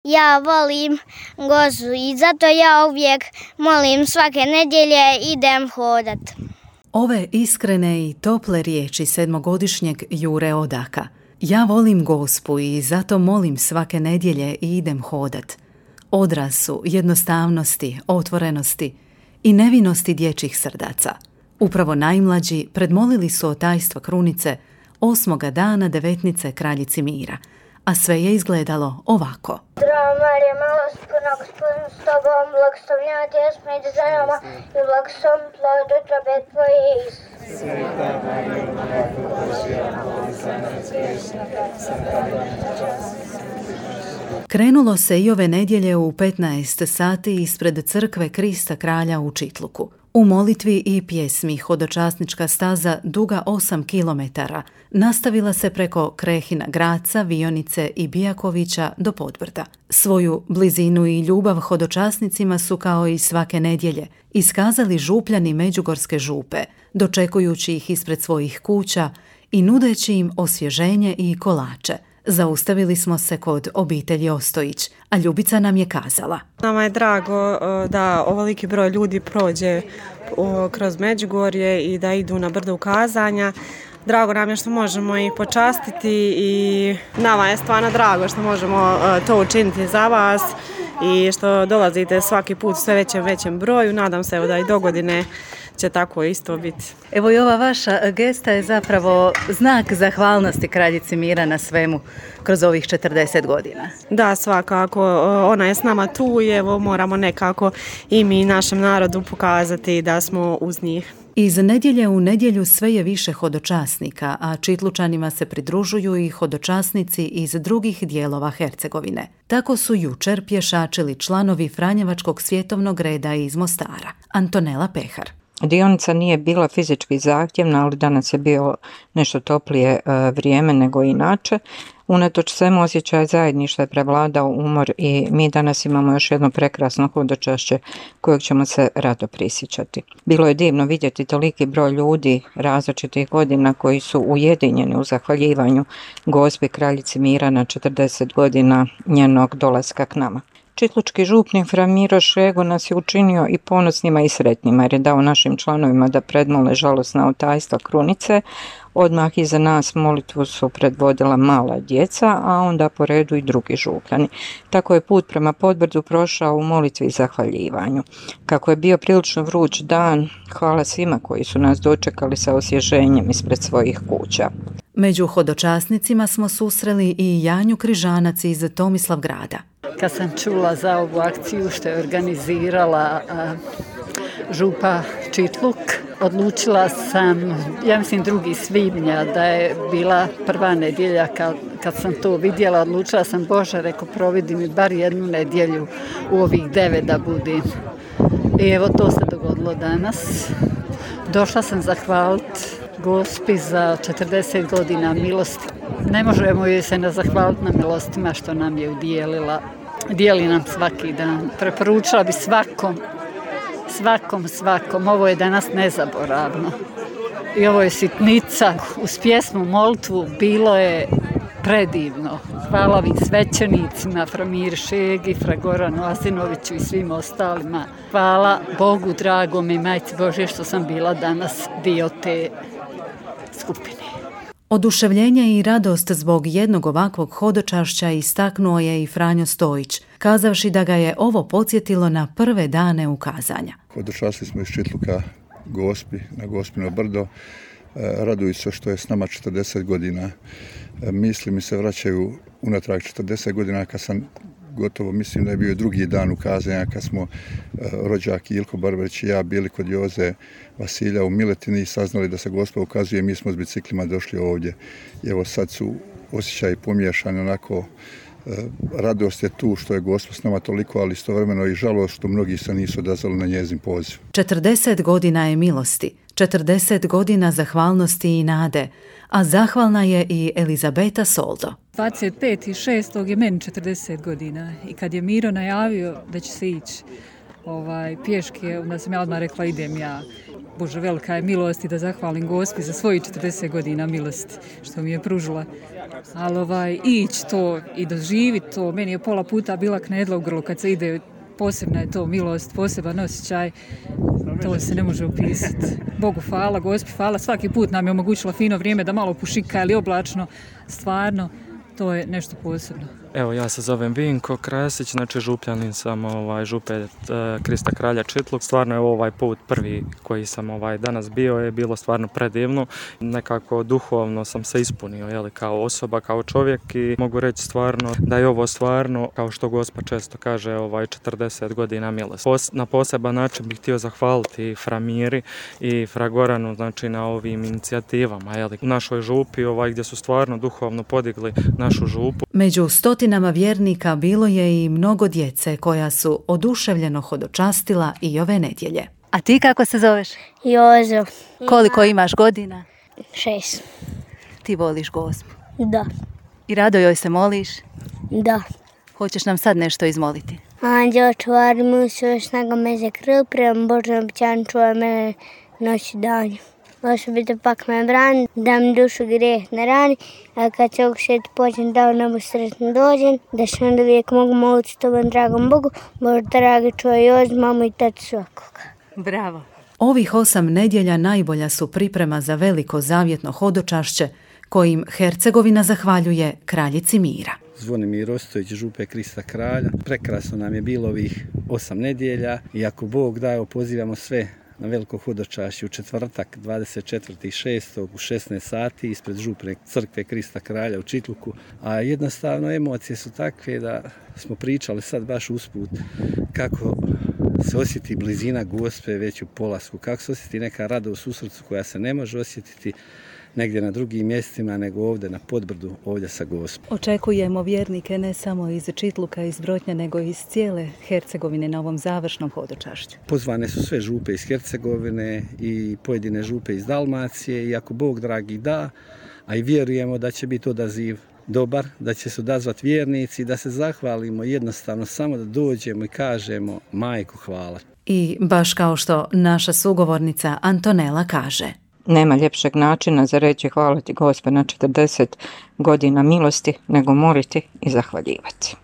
Ja volim Gozu i zato ja uvijek molim svake nedjelje idem hodat. Ove iskrene i tople riječi sedmogodišnjeg Jure Odaka. Ja volim Gospu i zato molim svake nedjelje i idem hodat. Odraz su jednostavnosti, otvorenosti i nevinosti dječjih srdaca. Upravo najmlađi predmolili su otajstvo krunice 8. dana devetnice kraljici mira, a sve je izgledalo ovako. Zdravo Marija, milost puna, Gospodin s tobom, blagoslovljena ti jesmo među ženama i blagosloven plod utrobe tvoje, Isus. Sveta Marija, Majko Božja, moli za nas grešnike, sada i na čas smrti. Krenulo se i ove nedjelje u 15 sati ispred crkve Krista kralja u Čitluku. U molitvi i pjesmi hodočasnička staza duga 8 kilometara nastavila se preko Krehina, Graca, Vionice i Bijakovića do Podbrda. Svoju blizinu i ljubav hodočasnicima su kao i svake nedjelje iskazali župljani Međugorske župe, dočekujući ih ispred svojih kuća i nudeći im osvježenje i kolače. Zaustavili smo se kod obitelji Ostojić, a Ljubica nam je kazala. Nama je drago da ovoliki broj ljudi prođe kroz Međugorje i da idu na brdo ukazanja. Drago nam je što možemo ih počastiti i nama je stvarno drago što možemo to učiniti za vas i što dolazite svaki put sve većem broju. Nadam se da i do godine će tako isto biti. Evo i ova vaša gesta je zapravo znak zahvalnosti kraljici mira na svemu kroz ovih 40 godina. Da, svakako. Ona je s nama tu i evo moramo nekako i mi našem narodu pokazati da smo uz njih. Iz nedjelje u nedjelju sve je više hodočasnika, a Čitlučanima se pridružuju i hodočasnici iz drugih dijelova Hercegovine. Tako su jučer pješačili članovi Franjevačkog svjetovnog reda iz Mostara. Antonela Pehar. Dionica nije bila fizički zahtjevna, ali danas je bio nešto toplije vrijeme nego inače. Unatoč svemu osjećaj zajedništva je prevladao umor i mi danas imamo još jedno prekrasno hodočašće kojeg ćemo se rado prisjećati. Bilo je divno vidjeti toliki broj ljudi različitih godina koji su ujedinjeni u zahvaljivanju Gospi kraljici mira na 40 godina njenog dolaska k nama. Čitlučki župnik fra Miro Šego nas je učinio i ponosnima i sretnima jer je dao našim članovima da predmole žalosna otajstva krunice. Odmah iza nas molitvu su predvodila mala djeca, a onda po redu i drugi župljani. Tako je put prema Podbrdu prošao u molitvi i zahvaljivanju. Kako je bio prilično vruć dan, hvala svima koji su nas dočekali sa osvježenjem ispred svojih kuća. Među hodočasnicima smo susreli i Janju Križanac iz Tomislavgrada. Kad sam čula za ovu akciju što je organizirala župa Čitluk, odlučila sam, ja mislim 2. svibnja, da je bila prva nedjelja kad sam to vidjela, odlučila sam, Bože, reko, providi mi bar jednu nedjelju u ovih 9 da budim. I evo to se dogodilo danas. Došla sam zahvaliti Gospi za 40 godina milosti. Ne možemo joj se ne zahvaliti na milostima što nam je udijelila. Dijeli nam svaki dan. Preporučila bi svakom. Ovo je danas nezaboravno. I ovo je sitnica. Uz pjesmu, molitvu bilo je predivno. Hvala ovim svećenicima, fra Miri Šegi, fra Goranu Azinoviću i svim ostalima. Hvala Bogu dragom i Majci Božje što sam bila danas dio te skupine. Oduševljenje i radost zbog jednog ovakvog hodočašća istaknuo je i Franjo Stojić, kazavši da ga je ovo podsjetilo na prve dane ukazanja. Hodočastili smo iz Čitluka Gospi, na Gospino brdo. Raduju se što je s nama 40 godina. Misli mi se vraćaju unatrag 40 godina kad sam gotovo, mislim da je bio drugi dan ukazanja kad smo rođak Ilko Barbarić i ja bili kod Joze Vasilja u Miletini i saznali da se Gospa ukazuje. Mi smo s biciklima došli ovdje. I evo sad su osjećaji pomiješani, onako radost je tu što je Gospa s nama toliko, ali istovremeno i žalost što mnogi se nisu odazvali na njezin poziv. 40 godina je milosti, 40 godina zahvalnosti i nade, a zahvalna je i Elizabeta Soldo. 25.6. je meni 40 godina i kad je Miro najavio da će se ići pješke, onda sam ja odmah rekla idem ja. Bože, velika je milost i da zahvalim Gospi za svojih 40 godina milosti što mi je pružila. Ali ići to i doživiti to, meni je pola puta bila knedla u grlu kad se ide, posebna je to milost, poseban osjećaj, to se ne može opisati. Bogu hvala, Gospi hvala, svaki put nam je omogućila fino vrijeme da malo pušika ili oblačno, stvarno, to je nešto posebno. Evo, ja se zovem Vinko Krasić, znači župljanin sam župe Krista kralja Čitluk. Stvarno je ovaj put prvi koji sam danas bio, je bilo stvarno predivno. Nekako duhovno sam se ispunio kao osoba, kao čovjek i mogu reći stvarno da je ovo stvarno, kao što Gospa često kaže, 40 godina milosti. Na poseban način bih htio zahvaliti fra Miri i fra Goranu, znači na ovim inicijativama u našoj župi, gdje su stvarno duhovno podigli našu župu. Među stotinama vjernika bilo je i mnogo djece koja su oduševljeno hodočastila i ove nedjelje. A ti kako se zoveš? Jozo. Koliko imaš godina? 6. Ti voliš Gospu? Da. I rado joj se moliš? Da. Hoćeš nam sad nešto izmoliti? Anđeo, čuvari mu svoje snaga me za krv, prema Božnom obećanju čuvaj mene noć i danju. Osobito pak me brani, da mi dušu grijeh ne rani, a kad se ovog svijeta pođem, da u nebu sretno dođem, da što onda uvijek mogu moliti tobom dragom Bogu, Bože dragi čuvaj Jozu, mamu i tatu svakoga. Bravo. Ovih 8 nedjelja najbolja su priprema za veliko zavjetno hodočašće kojim Hercegovina zahvaljuje kraljici mira. Zvonimir Ostojić, župe Krista kralja. Prekrasno nam je bilo ovih 8 nedjelja i ako Bog daje, pozivamo sve na veliko hodočašće u četvrtak 24.6. u 16 sati ispred župne crkve Krista kralja u Čitluku. A jednostavno emocije su takve da smo pričali sad baš usput kako se osjeti blizina Gospe već u polasku, kako se osjeti neka radost u srcu koja se ne može osjetiti negdje na drugim mjestima nego ovdje na Podbrdu, ovdje sa Gospom. Očekujemo vjernike ne samo iz Čitluka, iz Brotnja, nego iz cijele Hercegovine na ovom završnom hodočašću. Pozvane su sve župe iz Hercegovine i pojedine župe iz Dalmacije i ako Bog dragi da, a i vjerujemo da će biti odaziv dobar, da će se odazvati vjernici, da se zahvalimo jednostavno samo da dođemo i kažemo Majko hvala. I baš kao što naša sugovornica Antonela kaže. Nema ljepšeg načina za reći hvala ti Gospe na 40 godina milosti nego moliti i zahvaljivati.